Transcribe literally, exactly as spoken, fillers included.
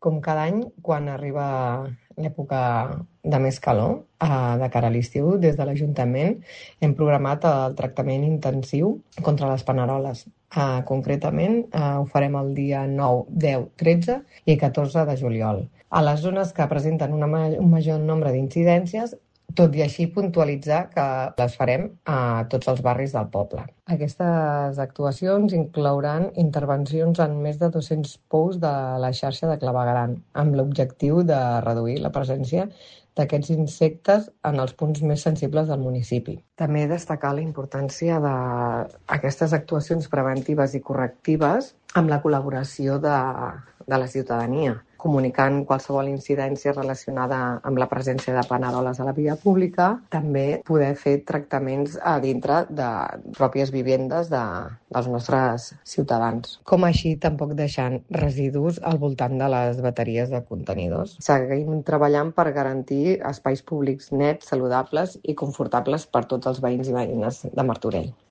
Com cada any, quan arriba l'època de més calor, eh, de cara a l'estiu, des de l'Ajuntament hem programat el tractament intensiu contra les paneroles. Eh, concretament, eh, ho farem el dia nou, deu, tretze i catorze de juliol. A les zones que presenten una, un major nombre d'incidències, tot i així puntualitzar que les farem a tots els barris del poble. Aquestes actuacions inclouran intervencions en més de dos-cents pous de la xarxa de clavegueram, amb l'objectiu de reduir la presència d'aquests insectes en els punts més sensibles del municipi. També destacar la importància d'aquestes actuacions preventives i correctives amb la col·laboració de, de la ciutadania, comunicant qualsevol incidència relacionada amb la presència de paneroles a la via pública, també poder fer tractaments a dintre de pròpies vivendes de, dels nostres ciutadans. Com així tampoc deixant residus al voltant de les bateries de contenidors. Seguim treballant per garantir espais públics nets, saludables i confortables per tots els veïns i veïnes de Martorell.